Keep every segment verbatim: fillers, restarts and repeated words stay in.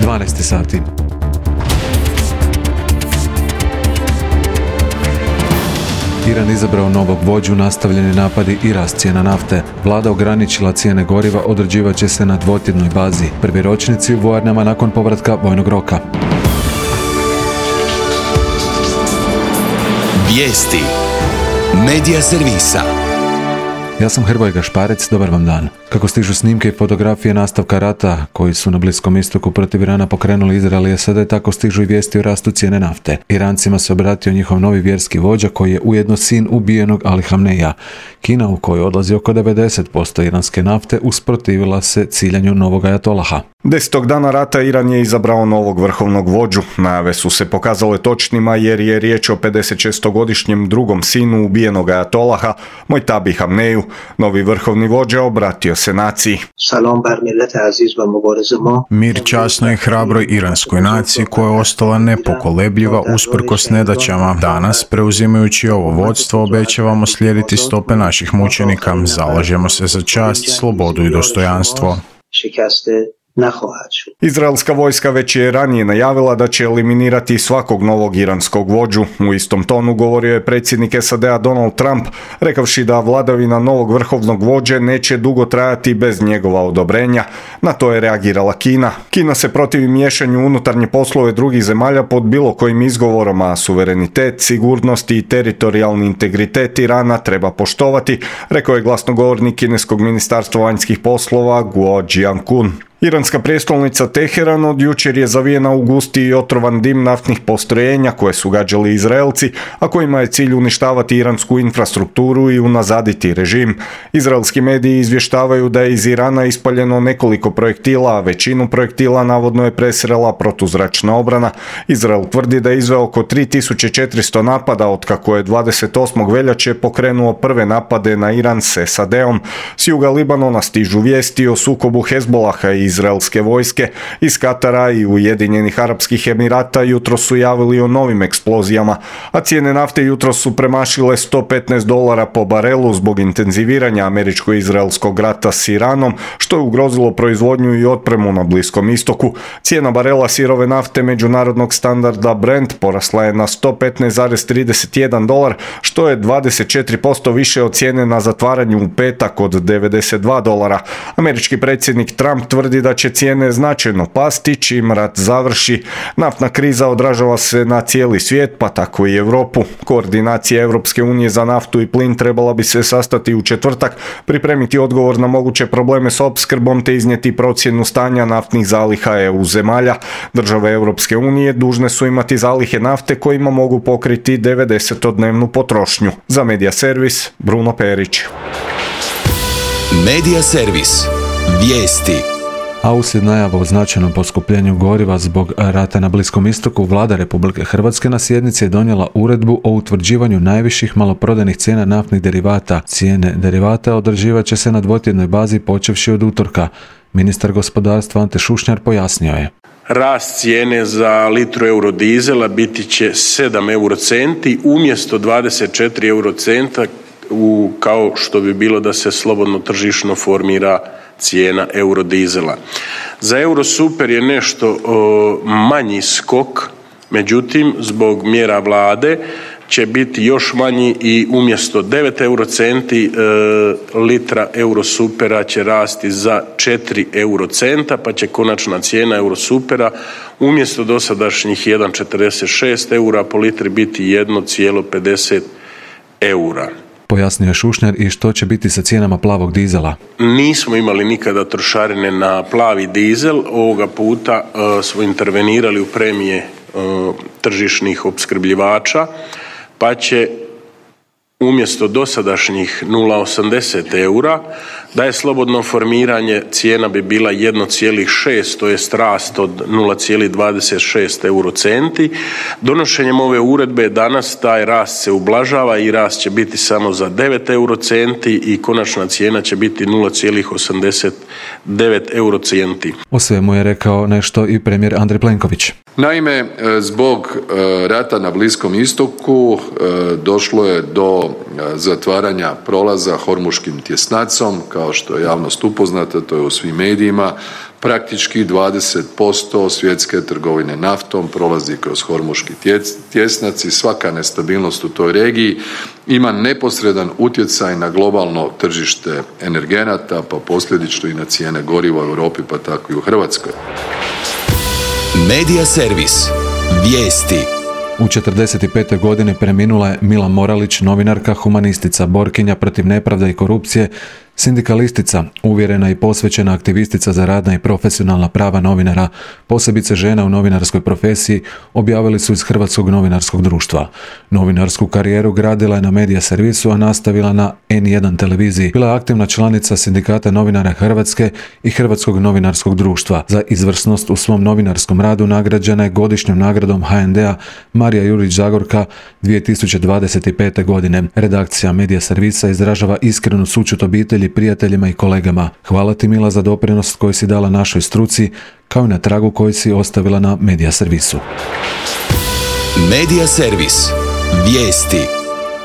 dvanaest sati. Iran izabrao novog vođu, nastavljeni napadi i rast cijena nafte. Vlada ograničila cijene goriva, određivat će se na dvotjednoj bazi. Prvi ročnici u vojarnama nakon povratka vojnog roka. Vijesti Medija servisa. Ja sam Hrvoje Gašparec, dobar vam dan. Kako stižu snimke i fotografije nastavka rata koji su na Bliskom istoku protiv Irana pokrenuli Izrael i SAD, tako stižu i vijesti o rastu cijene nafte. Irancima se obratio njihov novi vjerski vođa koji je ujedno sin ubijenog Ali Hamneija. Kina, u kojoj odlazi oko devedeset posto iranske nafte, usprotivila se ciljanju novog ajatolaha. Desetog dana rata Iran je izabrao novog vrhovnog vođu. Najave su se pokazale točnima jer je riječ o pedesetšestogodišnjem drugom sinu ubijenog ajatolaha, Mojtabi Hamneiju. Novi vrhovni vođa obratio se naciji. Mir časnoj i hrabroj iranskoj naciji koja je ostala nepokolebljiva usprkos nedaćama. Danas, preuzimajući ovo vodstvo, obećavamo slijediti stope naših mučenika. Zalažemo se za čast, slobodu i dostojanstvo. Izraelska vojska već je ranije najavila da će eliminirati svakog novog iranskog vođu. U istom tonu govorio je predsjednik S A D-a Donald Trump, rekavši da vladavina novog vrhovnog vođe neće dugo trajati bez njegova odobrenja. Na to je reagirala Kina. Kina se protivi miješanju unutarnje poslove drugih zemalja pod bilo kojim izgovorom, a suverenitet, sigurnost i teritorijalni integritet Irana treba poštovati, rekao je glasnogovornik kineskog ministarstva vanjskih poslova Guo Jiankun. Iranska prijestolnica Teheran od jučer je zavijena u gusti i otrovan dim naftnih postrojenja koje su gađali Izraelci, a kojima je cilj uništavati iransku infrastrukturu i unazaditi režim. Izraelski mediji izvještavaju da je iz Irana ispaljeno nekoliko projektila, a većinu projektila navodno je presrela protuzračna obrana. Izrael tvrdi da je izveo oko tri tisuće četiristo napada otkako je dvadeset osmog veljače pokrenuo prve napade na Iran s S A D-om. S juga Libanona stižu vijesti o sukobu Hezbolaha i izraelske vojske. Iz Katara i Ujedinjenih Arapskih Emirata jutro su javili o novim eksplozijama, a cijene nafte jutro su premašile sto petnaest dolara po barelu zbog intenziviranja američko-izraelskog rata s Iranom, što je ugrozilo proizvodnju i otpremu na Bliskom istoku. Cijena barela sirove nafte međunarodnog standarda Brent porasla je na sto petnaest zarez trideset jedan dolar, što je dvadeset četiri posto više od cijene na zatvaranju u petak od devedeset dva dolara. Američki predsjednik Trump tvrdi da će cijene značajno pasti čim rat završi. Naftna kriza odražava se na cijeli svijet, pa tako i Europu. Koordinacija Europske unije za naftu i plin trebala bi se sastati u četvrtak, pripremiti odgovor na moguće probleme s opskrbom te iznijeti procjenu stanja naftnih zaliha E U zemalja. Države Europske unije dužne su imati zalihe nafte kojima mogu pokriti devedesetodnevnu potrošnju. Za Medija servis, Bruno Perić. Medija servis. Vijesti. A uslijed najava o značajnom poskupljenju goriva zbog rata na Bliskom istoku, Vlada Republike Hrvatske na sjednici je donijela uredbu o utvrđivanju najviših maloprodajnih cijena naftnih derivata. Cijene derivata određivat će se na dvotjednoj bazi počevši od utorka. Ministar gospodarstva Ante Šušnjar pojasnio je. Rast cijene za litru eurodizela biti će sedam eurocenti umjesto dvadeset četiri eurocenta u, kao što bi bilo da se slobodno tržišno formira cijena eurodizela. Za Eurosuper je nešto o, manji skok, međutim zbog mjera vlade će biti još manji i umjesto devet eurocenti e, litra Eurosupera će rasti za četiri eurocenta, pa će konačna cijena Eurosupera umjesto dosadašnjih jedan zarez četrdeset šest eura po litri biti jedan zarez pedeset eura. Pojasnio je Šušnjar i što će biti sa cijenama plavog dizela. Nismo imali nikada trošarine na plavi dizel, ovoga puta uh, smo intervenirali u premije uh, tržišnih opskrbljivača, pa će umjesto dosadašnjih nula zarez osamdeset eura, da je slobodno formiranje cijena bi bila jedan zarez šest, to je rast od nula zarez dvadeset šest eurocenti. Donošenjem ove uredbe danas taj rast se ublažava i rast će biti samo za devet eurocenti i konačna cijena će biti nula zarez osamdeset devet eurocenti. O svemu je rekao nešto i premijer Andrej Plenković. Naime, zbog rata na Bliskom istoku došlo je do do zatvaranja prolaza Hormuškim tjesnacom, kao što je javnost upoznata, to je u svim medijima. Praktički dvadeset posto svjetske trgovine naftom prolazi kroz Hormuški tjesnac i svaka nestabilnost u toj regiji ima neposredan utjecaj na globalno tržište energenata, pa posljedično i na cijene goriva u Europi, pa tako i u Hrvatskoj. Medija servis. Vijesti. U četrdeset pete godine preminula je Mila Moralić, novinarka, humanistica, borkinja protiv nepravde i korupcije, sindikalistica, uvjerena i posvećena aktivistica za radna i profesionalna prava novinara, posebice žena u novinarskoj profesiji, objavili su iz Hrvatskog novinarskog društva. Novinarsku karijeru gradila je na Medija servisu, a nastavila na en jedan televiziji. Bila je aktivna članica Sindikata novinara Hrvatske i Hrvatskog novinarskog društva. Za izvrsnost u svom novinarskom radu nagrađena je godišnjom nagradom ha en de-a Marija Jurić Zagorka dvije tisuće dvadeset pete. godine. Redakcija Medija servisa izražava iskrenu sućut obitelji, prijateljima i kolegama. Hvala ti, Mila, za doprinos koji si dala našoj struci, kao i na tragu koji si ostavila na Medija servisu. Medija servis. Vijesti.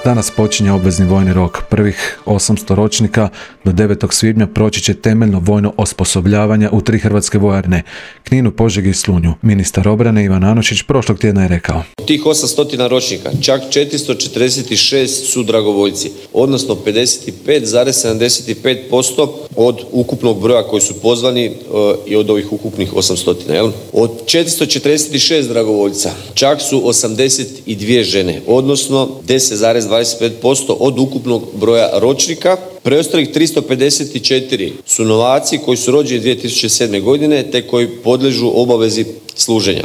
Danas počinje obvezni vojni rok. Prvih osamsto ročnika do devetog svibnja proći će temeljno vojno osposobljavanje u tri hrvatske vojarne, Kninu, Požegi i Slunju. Ministar obrane Ivan Anušić prošlog tjedna je rekao: Tih osamsto ročnika, čak četiristo četrdeset šest su dragovoljci, odnosno pedeset pet zarez sedamdeset pet posto od ukupnog broja koji su pozvani uh, i od ovih ukupnih osamsto. Jel? Od četiristo četrdeset šest dragovoljca, čak su osamdeset dvije žene, odnosno deset zarez dvadeset pet posto od ukupnog broja ročnika. Preostalih tristo pedeset četiri su novaci koji su rođeni dvije tisuće sedme. godine te koji podliježu obavezi služenja.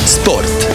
Sport.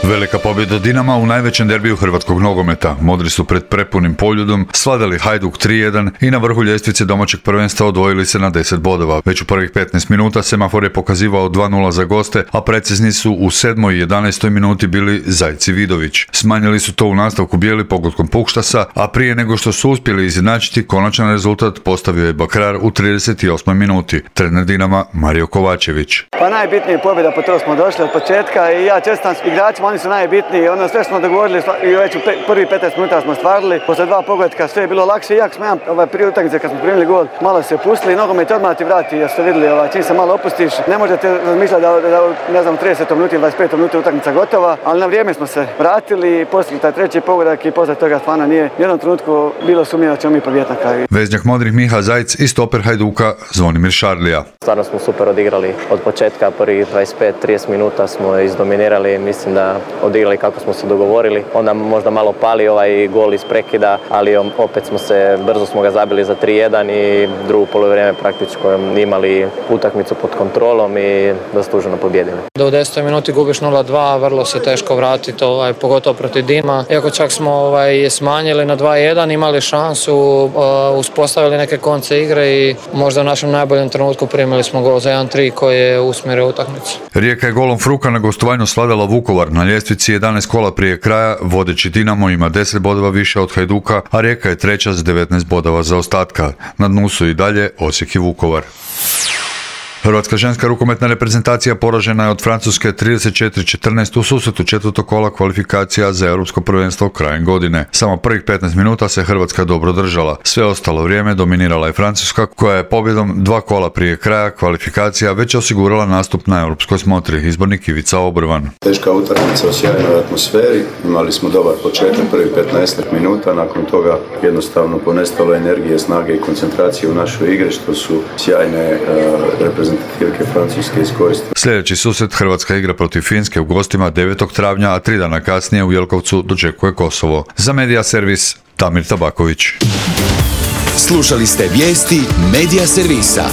Velika pobjeda Dinama u najvećem derbiju hrvatskog nogometa. Modri su pred prepunim Poljudom svladali Hajduk tri jedan i na vrhu ljestvice domaćeg prvenstva odvojili se na deset bodova. Već u prvih petnaest minuta semafor je pokazivao dva nula za goste, a precizni su u sedmoj i jedanaestoj minuti bili Zajci Vidović. Smanjili su to u nastavku bijeli pogodkom Pukštasa, a prije nego što su uspjeli izjednačiti, konačan rezultat postavio je Bakrar u trideset osmoj minuti. Trener Dinama Mario Kovačević. Pa najbitnije pobjeda, po to smo došli od početka i ja čestitam igračima, oni su najbitniji. Ono sve smo dogovorili i već u prvi petnaest minuta smo stvarili. Posle dva pogotka sve je bilo lakše, iako smo jedan ovaj, prije utakmice kad smo primili gol malo se pustili i nogomet odmah ti vrati, jer ste vidjeli ovaj, čim se malo opustiš, ne možete razmišljati da, da, da ne znam, trideset minuti, dvadeset pet minuta utakmica gotova, ali na vrijeme smo se vratili i postigli taj treći pogodak i posle toga stvarno nije u jednom trenutku bilo sumnje da ćemo mi pobijediti na kraju. Veznjak modrih Miha Zajc i stoper Hajduka Zvonimir Šarlija. Stvarno smo super odigrali od početka, prvih dvadeset pet trideset minuta smo izdominirali, mislim da odigrali kako smo se dogovorili. Onda možda malo pali ovaj gol iz prekida, ali opet smo se, brzo smo ga zabili za tri jedan i drugo poluvreme praktički imali utakmicu pod kontrolom i zasluženo pobijedili. Do u desetoj minuti gubiš nula dva, vrlo se teško vratiti, ovaj, pogotovo protiv Dima. Iako čak smo ovaj, smanjili na dva jedan, imali šansu, uh, uspostavili neke konce igre i možda u našem najboljem trenutku primili smo gol za jedan tri koji je usmjerio utakmicu. Rijeka je golom Fruka na gostovanju svladala Vukovar. Na ljestvici jedanaest kola prije kraja, vodeći Dinamo ima deset bodova više od Hajduka, a Rijeka je treća s devetnaest bodova zaostatka. Na dnu su i dalje Osijek i Vukovar. Hrvatska ženska rukometna reprezentacija poražena je od Francuske trideset četiri četrnaest u susretu četvrtog kola kvalifikacija za europsko prvenstvo krajem godine. Samo prvih petnaest minuta se Hrvatska dobro držala. Sve ostalo vrijeme dominirala je Francuska, koja je pobjedom dva kola prije kraja kvalifikacija već osigurala nastup na europskoj smotri. Izbornik Ivica Obrvan. Teška utakmica u sjajnoj atmosferi. Imali smo dobar početak, prvih petnaest minuta. Nakon toga jednostavno ponestalo energije, snage i koncentracije u našoj igri, što su sjajne uh, reprezentacije Francuske iskoristili. Sljedeći susret Hrvatska igra protiv Finske u gostima devetog travnja, a tri dana kasnije u Jelkovcu dočekuje Kosovo. Za Medija servis Damir Tabaković. Slušali ste vijesti Medija servisa.